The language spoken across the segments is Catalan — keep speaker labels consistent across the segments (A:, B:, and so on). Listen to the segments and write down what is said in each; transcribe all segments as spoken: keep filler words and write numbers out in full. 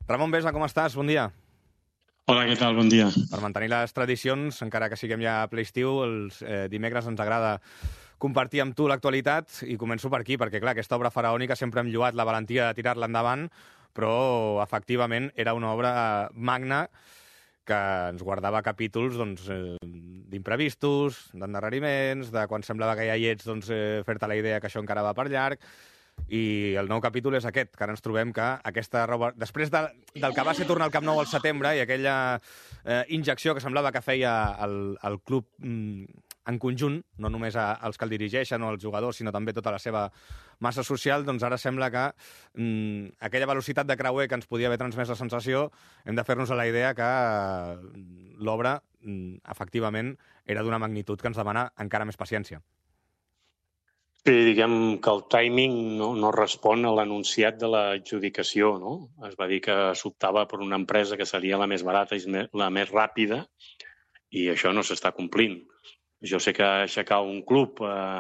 A: Ramon Besa, com estàs? Bon dia.
B: Hola, què tal? Bon dia.
A: Per mantenir les tradicions, encara que siguem ja a ple estiu, els eh, dimecres ens agrada compartir amb tu l'actualitat i començo per aquí, perquè clar, aquesta obra faraònica sempre hem lloat la valentia de tirar-la endavant, però efectivament era una obra magna que ens guardava capítols doncs, eh, d'imprevistos, d'endarreriments, de quan semblava que ja hi ets, doncs, eh, fer-te la idea que això encara va per llarg. I el nou capítol és aquest, que ara ens trobem que aquesta roba... Després de, del que va ser tornar al Camp Nou al setembre i aquella eh, injecció que semblava que feia el, el club mm, en conjunt, no només a, als que el dirigeixen o als jugadors, sinó també tota la seva massa social, doncs ara sembla que mm, aquella velocitat de creuer que ens podia haver transmès la sensació, hem de fer-nos a la idea que mm, l'obra, mm, efectivament, era d'una magnitud que ens demana encara més paciència.
B: Sí, diguem que el timing no, no respon a l'anunciat de l'adjudicació, no? Es va dir que s'optava per una empresa que seria la més barata i la més ràpida i això no s'està complint. Jo sé que aixecar un club eh,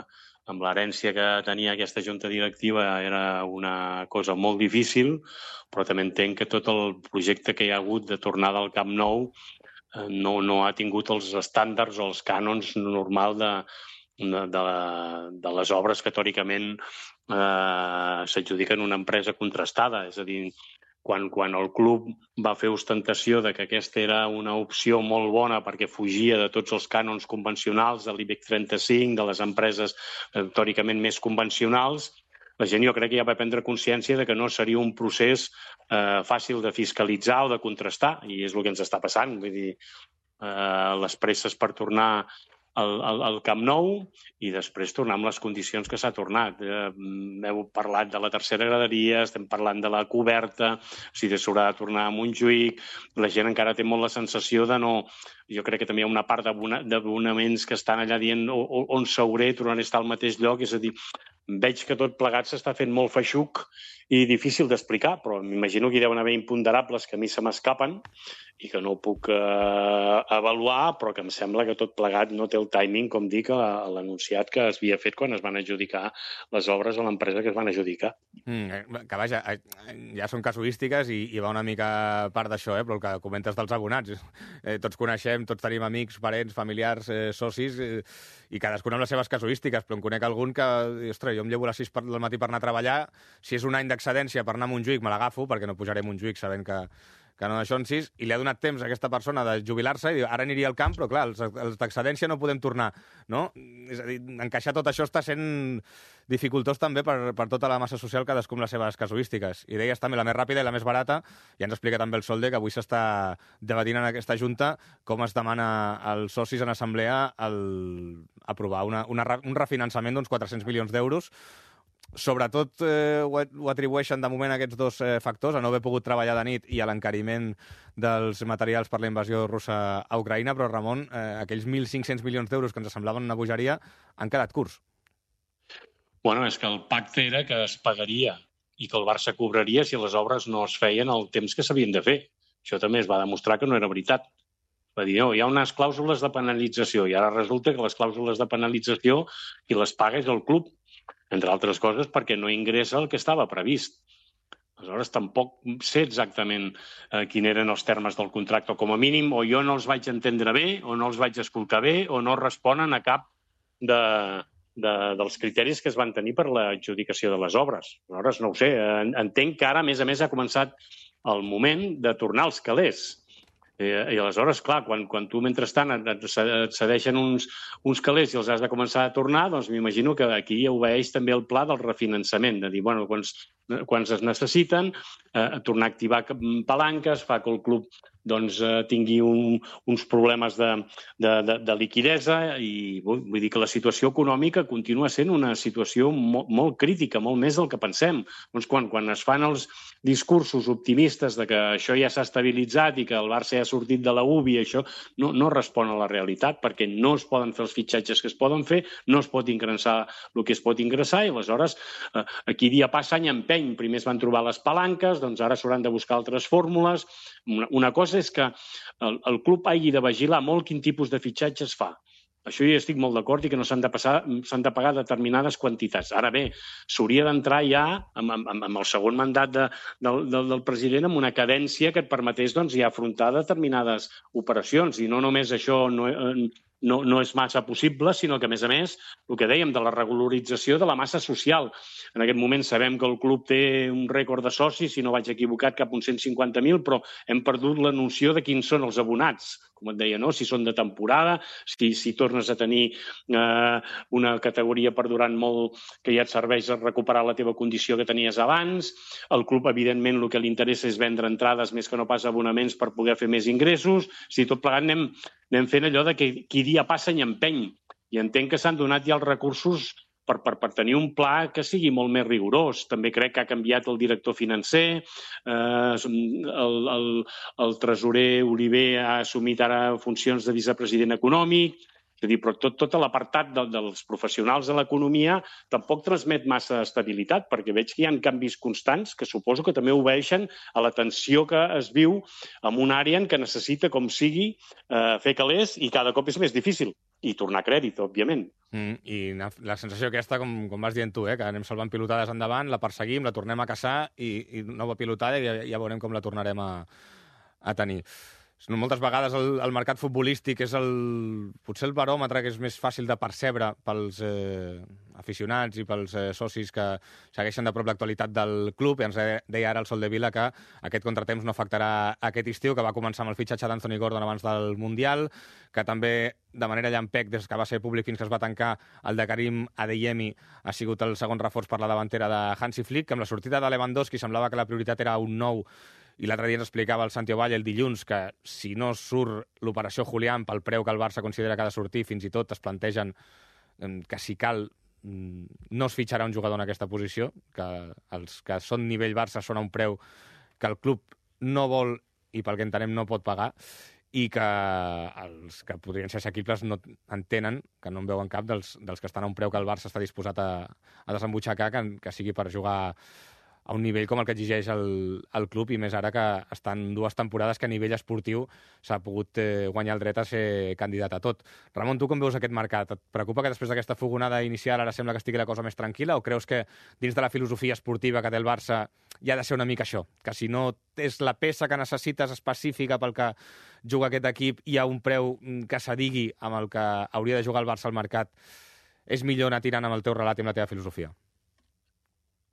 B: amb l'herència que tenia aquesta junta directiva era una cosa molt difícil, però també entenc que tot el projecte que hi ha hagut de tornada al Camp Nou eh, no, no ha tingut els estàndards o els cànons normal de De, de, de les obres que teòricament eh, s'adjudiquen una empresa contrastada. És a dir, quan, quan el club va fer ostentació de que aquesta era una opció molt bona perquè fugia de tots els cànons convencionals de l'IBEX trenta-cinc, de les empreses eh, teòricament més convencionals, la gent jo crec que ja va prendre consciència de que no seria un procés eh, fàcil de fiscalitzar o de contrastar, i és el que ens està passant. Vull dir, eh, les presses per tornar Al, al, al Camp Nou i després tornar amb les condicions que s'ha tornat. Eh, heu parlat de la tercera graderia, estem parlant de la coberta, si s'haurà de tornar a Montjuïc, la gent encara té molt la sensació de no... Jo crec que també hi ha una part d'abonaments que estan allà dient on s'hauré, tornaré a estar al mateix lloc, és a dir, veig que tot plegat s'està fent molt feixuc i difícil d'explicar, però m'imagino que hi deuen haver imponderables que a mi se m'escapen i que no ho puc eh, avaluar, però que em sembla que tot plegat no té el timing, com dic, a l'anunciat que es havia fet quan es van adjudicar les obres a l'empresa que es van adjudicar.
A: Mm, que vaja, ja són casuístiques i, i va una mica part d'això, eh? Però el que comentes dels abonats. Eh, tots coneixem, tots tenim amics, parents, familiars, eh, socis, eh, i cadascun amb les seves casuístiques, però en conec algun que, ostres, jo em llevo a les sis del matí per anar a treballar, si és un any d'excedència per anar a Montjuïc me l'agafo, perquè no pujaré a Montjuïc sabent que que no d'això en sis, i li ha donat temps a aquesta persona de jubilar-se i diu, ara aniria al camp, però clar, els, els d'excedència no podem tornar, no? És a dir, encaixar tot això està sent dificultós també per, per tota la massa social, cadascú amb les seves casuístiques. I deies també la més ràpida i la més barata, i ens explica també el Solde, que avui s'està debatint en aquesta junta com es demana als socis en assemblea el, aprovar una, una, un refinançament d'uns quatre-cents milions d'euros. Sobretot eh, ho, ho atribueixen de moment a aquests dos eh, factors, a no haver pogut treballar de nit i a l'encariment dels materials per la invasió russa a Ucraïna, però Ramon, eh, aquells mil cinc-cents milions d'euros que ens semblaven una bogeria han quedat curts.
B: Bueno, és que el pacte era que es pagaria i que el Barça cobraria si les obres no es feien el temps que s'havien de fer. Això també es va demostrar que no era veritat. Va dir, no, hi ha unes clàusules de penalització i ara resulta que les clàusules de penalització qui les paga és el club, entre altres coses perquè no ingressa el que estava previst. Aleshores, tampoc sé exactament eh, quins eren els termes del contracte, o com a mínim o jo no els vaig entendre bé, o no els vaig escoltar bé, o no responen a cap de, de, dels criteris que es van tenir per l'adjudicació de les obres. Aleshores, no ho sé, entenc que ara, a més a més, ha començat el moment de tornar als calés. I aleshores, clar, quan, quan tu mentrestant et cedeixen uns, uns calés i els has de començar a tornar, doncs m'imagino que aquí obeeix també el pla del refinançament, de dir, bueno, quan, quan es necessiten, eh, tornar a activar palanques, fa que el club doncs, eh, tingui un, uns problemes de, de, de, de liquidesa i vull, vull dir que la situació econòmica continua sent una situació molt, molt crítica, molt més del que pensem. Doncs quan, quan es fan els discursos optimistes de que això ja s'ha estabilitzat i que el Barça ja ha sortit de la U B I, això no, no respon a la realitat perquè no es poden fer els fitxatges que es poden fer, no es pot ingressar el que es pot ingressar i aleshores eh, aquí dia passa any empeny. Primer es van trobar les palanques, doncs ara s'hauran de buscar altres fórmules. Una, una cosa és que el, el club hagi de vigilar molt quin tipus de fitxatges fa. Això jo estic molt d'acord i que no s'han de passar, s'han de pagar determinades quantitats. Ara bé, s'hauria d'entrar ja amb, amb, amb el segon mandat de, del, del, del president amb una cadència que et permetés doncs, ja afrontar determinades operacions. I no només això no, no, no és massa possible, sinó que, a més a més, el que dèiem de la regularització de la massa social. En aquest moment sabem que el club té un rècord de socis, si no vaig equivocat, cap uns cent cinquanta mil, però hem perdut la noció de quins són els abonats. Com et deia, no? Si són de temporada, si, si tornes a tenir eh, una categoria perdurant molt que ja et serveix a recuperar la teva condició que tenies abans. El club, evidentment, el que li interessa és vendre entrades més que no pas abonaments per poder fer més ingressos. Si tot plegat anem, anem fent allò de que qui dia passa i empeny. I entenc que s'han donat ja els recursos Per, per, per tenir un pla que sigui molt més rigorós. També crec que ha canviat el director financer, eh, el, el, el tresorer Oliver ha assumit ara funcions de vicepresident econòmic, és a dir, però tot, tot l'apartat de, dels professionals de l'economia tampoc transmet massa estabilitat, perquè veig que hi ha canvis constants que suposo que també obeeixen a la tensió que es viu en una àrea en què necessita, com sigui, eh, fer calés i cada cop és més difícil. I tornar a crèdit, òbviament.
A: Mm, I la sensació aquesta, com, com vas dient tu, eh, que anem salvant pilotades endavant, la perseguim, la tornem a caçar i, i nova pilotada i ja, ja veurem com la tornarem a, a tenir. Moltes vegades el, el mercat futbolístic és el, potser el baròmetre que és més fàcil de percebre pels eh, aficionats i pels eh, socis que segueixen de prop l'actualitat del club. I ens deia ara el Sol de Vila que aquest contratemps no afectarà aquest estiu, que va començar amb el fitxatge d'Anthony Gordon abans del Mundial, que també de manera llampec, des que va ser públic fins que es va tancar, el de Karim Adeyemi ha sigut el segon reforç per la davantera de Hansi Flick, que amb la sortida de Lewandowski semblava que la prioritat era un nou. I l'altre dia ens explicava el Santi Ovalle el dilluns que si no surt l'operació Julián pel preu que el Barça considera que ha de sortir, fins i tot es plantegen que si cal no es fitxarà un jugador en aquesta posició, que els que són nivell Barça són a un preu que el club no vol i pel que entenem no pot pagar, i que els que podrien ser assequibles no entenen, que no en veuen cap dels, dels que estan a un preu que el Barça està disposat a, a desembutxacar, que, que sigui per jugar a un nivell com el que exigeix el, el club, i més ara que estan dues temporades que a nivell esportiu s'ha pogut eh, guanyar el dret a ser candidat a tot. Ramon, tu com veus aquest mercat? Et preocupa que després d'aquesta fogonada inicial ara sembla que estigui la cosa més tranquil·la, o creus que dins de la filosofia esportiva que té el Barça hi ha de ser una mica això? Que si no és la peça que necessites específica pel que juga aquest equip i a un preu que s'adigui amb el que hauria de jugar el Barça al mercat, és millor anar tirant amb el teu relat i amb la teva filosofia?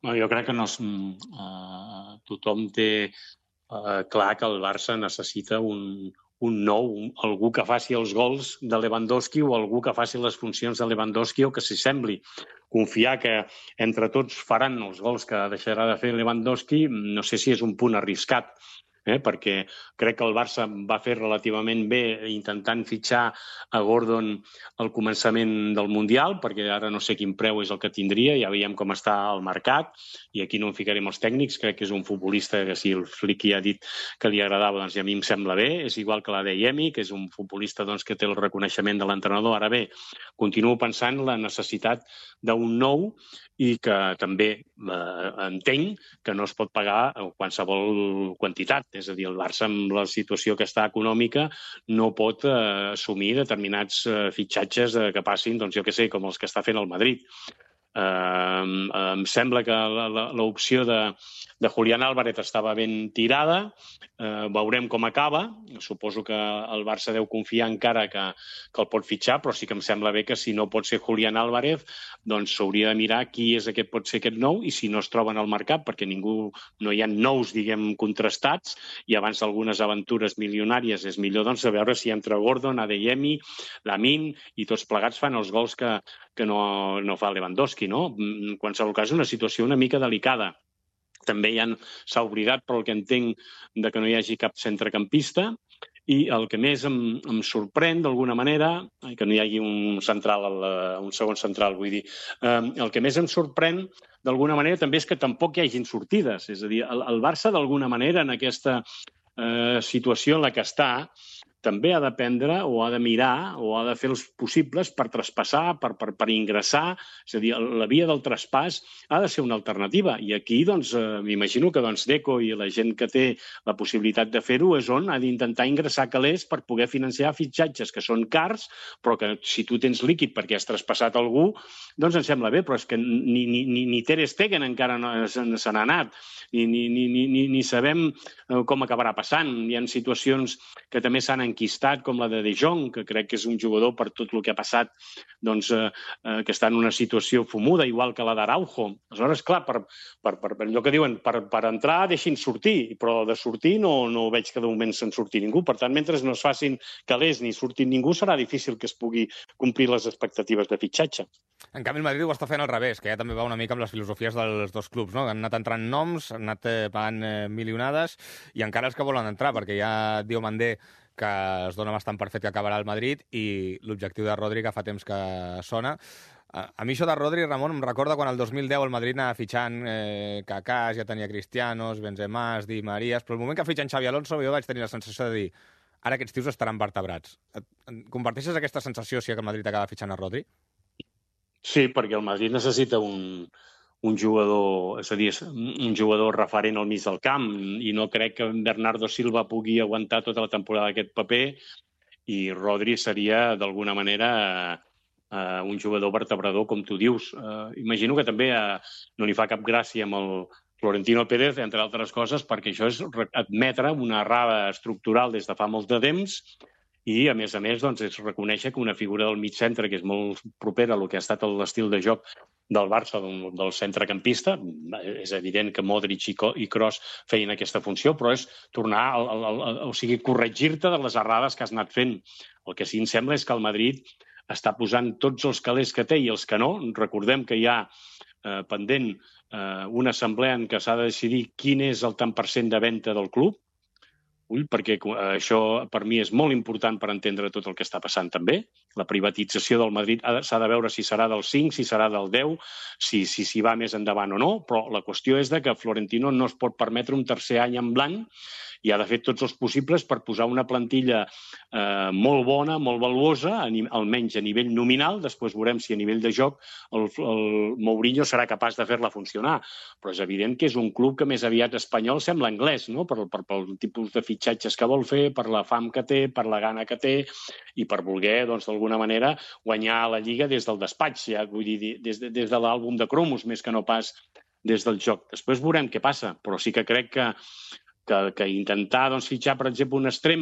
B: Jo crec que no és, uh, tothom té uh, clar que el Barça necessita un, un nou, un, algú que faci els gols de Lewandowski o algú que faci les funcions de Lewandowski o que s'hi sembli. Confiar que entre tots faran els gols que deixarà de fer Lewandowski, no sé si és un punt arriscat. Eh, perquè crec que el Barça va fer relativament bé intentant fitxar a Gordon al començament del Mundial, perquè ara no sé quin preu és el que tindria, ja veiem com està el mercat, i aquí no en ficarem els tècnics, crec que és un futbolista que si el Flick ja ha dit que li agradava, doncs a mi em sembla bé, és igual que l'Adeyemi, que és un futbolista doncs, que té el reconeixement de l'entrenador. Ara bé, continuo pensant la necessitat d'un nou i que també eh, entenc que no es pot pagar qualsevol quantitat. És a dir, el Barça, amb la situació que està econòmica, no pot eh, assumir determinats eh, fitxatges eh, que passin, doncs jo què sé, com els que està fent el Madrid. Eh, em sembla que l'opció de, de Julián Álvarez estava ben tirada, eh, veurem com acaba, suposo que el Barça deu confiar encara que, que el pot fitxar, però sí que em sembla bé que si no pot ser Julián Álvarez, doncs s'hauria de mirar qui és aquest, pot ser aquest nou, i si no es troben al mercat, perquè ningú, no hi ha nous, diguem, contrastats, i abans d'algunes aventures milionàries és millor doncs, veure si entre Gordon, Adeyemi, Lamine i tots plegats fan els gols que, que no, no fa Lewandowski, no? En qualsevol cas, una situació una mica delicada. També ja s'ha oblidat, per el que entenc, de que no hi hagi cap centrecampista, i el que més em, em sorprèn, d'alguna manera, que no hi hagi un central, un segon central, vull dir, eh, el que més em sorprèn, d'alguna manera, també és que tampoc hi hagin sortides. És a dir, el, el Barça, d'alguna manera, en aquesta eh, situació en la que està, també ha d'aprendre o ha de mirar o ha de fer els possibles per traspassar, per, per, per ingressar. És a dir, la via del traspàs ha de ser una alternativa. I aquí, doncs, eh, m'imagino que doncs, Deco i la gent que té la possibilitat de fer-ho és on ha d'intentar ingressar calés per poder financiar fitxatges que són cars, però que si tu tens líquid perquè has traspassat algú, doncs em sembla bé, però és que ni, ni, ni, ni Ter Stegen encara no se n'ha anat, ni, ni, ni, ni, ni sabem com acabarà passant. Hi ha situacions que també s'han enquistat, com la de De Jong, que crec que és un jugador per tot el que ha passat, doncs, eh, eh, que està en una situació fumuda, igual que la d'Araujo. Aleshores, clar, per, per, per, per allò que diuen, per, per entrar deixin sortir, però de sortir no, no veig que de moment se'n surti ningú. Per tant, mentre no es facin calés ni surti ningú, serà difícil que es pugui complir les expectatives de fitxatge.
A: En canvi, el Madrid ho està fent al revés, que ja també va una mica amb les filosofies dels dos clubs, no? Han anat entrant noms, han anat eh, pagant eh, milionades, i encara els que volen entrar, perquè ja Diomandé, que es dona bastant per fet que acabarà al Madrid, i l'objectiu de Rodri, que fa temps que sona. A mi això de Rodri, Ramon, em recorda quan el dos mil deu el Madrid anava fitxant eh, Kaká, ja tenia Cristianos, Benzema, Di Marías, però el moment que fitxen Xavi Alonso jo vaig tenir la sensació de dir ara aquests tios estaran vertebrats. Comparteixes aquesta sensació si el Madrid acaba fitxant a Rodri?
B: Sí, perquè el Madrid necessita un, un jugador, és a dir, un jugador referent al mig del camp, i no crec que Bernardo Silva pugui aguantar tota la temporada aquest paper, i Rodri seria, d'alguna manera, eh, un jugador vertebrador, com tu dius. Eh, imagino que també eh, no li fa cap gràcia amb el Florentino Pérez, entre altres coses, perquè això és admetre una errada estructural des de fa molt de temps, i, a més a més, doncs, és reconèixer que una figura del mig centre, que és molt propera a el que ha estat l'estil de joc del Barça, del, del centrecampista, és evident que Modric i Kroos feien aquesta funció, però és tornar, al, al, al, o sigui, corregir-te de les errades que has anat fent. El que sí em sembla és que el Madrid està posant tots els calés que té i els que no. Recordem que hi ha eh, pendent eh, una assemblea en què s'ha de decidir quin és el tant per cent de venda del club. Ull, perquè això per mi és molt important per entendre tot el que està passant també. La privatització del Madrid s'ha de veure si serà del cinc, si serà del deu, si s'hi si, si va més endavant o no, però la qüestió és de que Florentino no es pot permetre un tercer any en blanc i ha de fer tots els possibles per posar una plantilla eh, molt bona, molt valuosa, almenys a nivell nominal. Després veurem si a nivell de joc el, el Mourinho serà capaç de fer-la funcionar. Però és evident que és un club que més aviat espanyol sembla anglès, no? Per, per, pel tipus de fitxatges que vol fer, per la fam que té, per la gana que té i per voler, doncs, d'alguna manera, guanyar la Lliga des del despatx, ja, vull dir, des de, des de l'àlbum de cromos, més que no pas des del joc. Després veurem què passa, però sí que crec que Que, que intentar doncs, fitxar, per exemple, un extrem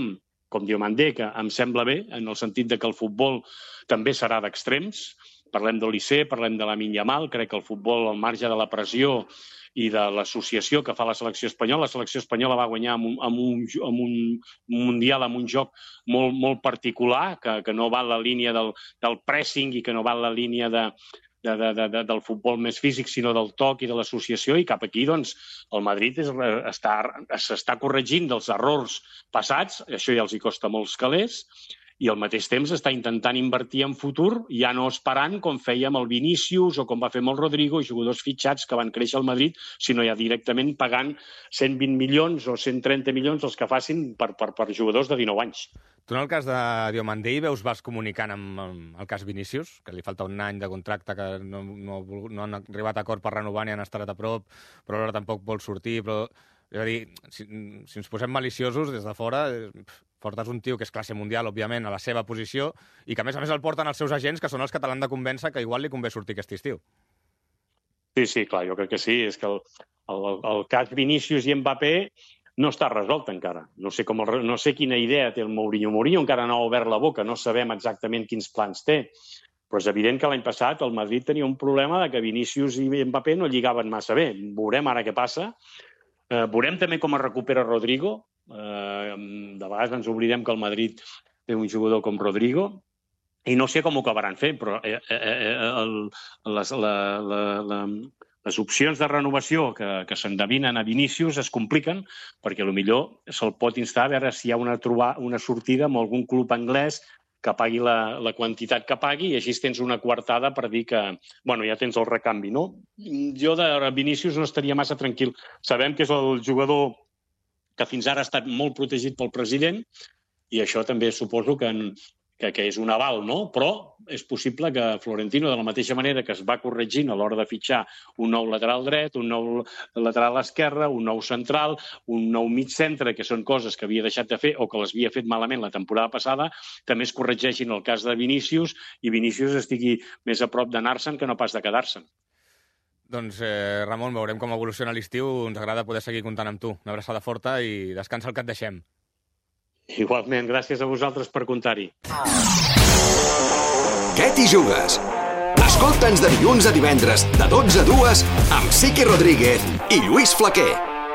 B: com Diomandé, que em sembla bé, en el sentit de que el futbol també serà d'extrems. Parlem de l'I C, parlem de Lamine Yamal, crec que el futbol, al marge de la pressió i de l'associació que fa la selecció espanyola, la selecció espanyola va guanyar amb un, amb un, amb un mundial, amb un joc molt, molt particular, que, que no va en la línia del, del pressing i que no va en la línia de... De, de, de, del futbol més físic, sinó del toc i de l'associació, i cap aquí, doncs, el Madrid és, està, s'està corregint dels errors passats, això ja els hi costa molts calés, i al mateix temps està intentant invertir en futur, ja no esperant com feia amb el Vinícius o com va fer amb el Rodrigo, jugadors fitxats que van créixer al Madrid, sinó ja directament pagant cent vint milions o cent trenta milions els que facin per, per, per jugadors de dinou anys.
A: Tu en el cas de Diomandé veus vas comunicant amb, amb el cas Vinícius, que li falta un any de contracte, que no, no, no han arribat a acord per renovar ni han estat a prop, però ara tampoc vol sortir, però és a dir, si, si ens posem maliciosos des de fora, portes un tio que és classe mundial, òbviament, a la seva posició, i que a més a més el porten els seus agents, que són els que te l'han de convèncer que igual li convé sortir aquest estiu.
B: Sí, sí, clar, jo crec que sí. És que el, el, el cas Vinícius i Mbappé no està resolt encara. No sé, com el, no sé quina idea té el Mourinho. Mourinho encara no ha obert la boca, no sabem exactament quins plans té. Però és evident que l'any passat el Madrid tenia un problema de que Vinícius i Mbappé no lligaven massa bé. Veurem ara què passa. Eh, veurem també com es recupera Rodrigo. Eh, de vegades ens oblidem que el Madrid té un jugador com Rodrigo i no sé com ho acabaran fent, però eh, eh, el, les, la, la, la, les opcions de renovació que, que s'endevinen a Vinícius es compliquen perquè potser se'l pot instar a veure si hi ha una, trobar, una sortida amb algun club anglès que pagui la, la quantitat que pagui i així tens una coartada per dir que, bueno, ja tens el recanvi, no? Jo de Vinícius no estaria massa tranquil. Sabem que és el jugador que fins ara ha estat molt protegit pel president i això també suposo que, que, que és un aval, no? Però és possible que Florentino, de la mateixa manera que es va corregint a l'hora de fitxar un nou lateral dret, un nou lateral esquerre, un nou central, un nou mig centre, que són coses que havia deixat de fer o que les havia fet malament la temporada passada, també es corregeixin el cas de Vinícius i Vinícius estigui més a prop d'anar-se'n que no pas de quedar-se'n.
A: Doncs, eh, Ramon, veurem com evoluciona l'estiu. Ens agrada poder seguir comptant amb tu. Una abraçada forta i descansa el que et deixem.
B: Igualment, gràcies a vosaltres per comptar-hi.
C: Què t'hi jugues? Escolta'ns de dilluns a divendres, de dotze a dues, amb Siqui Rodríguez i Lluís Flaquer.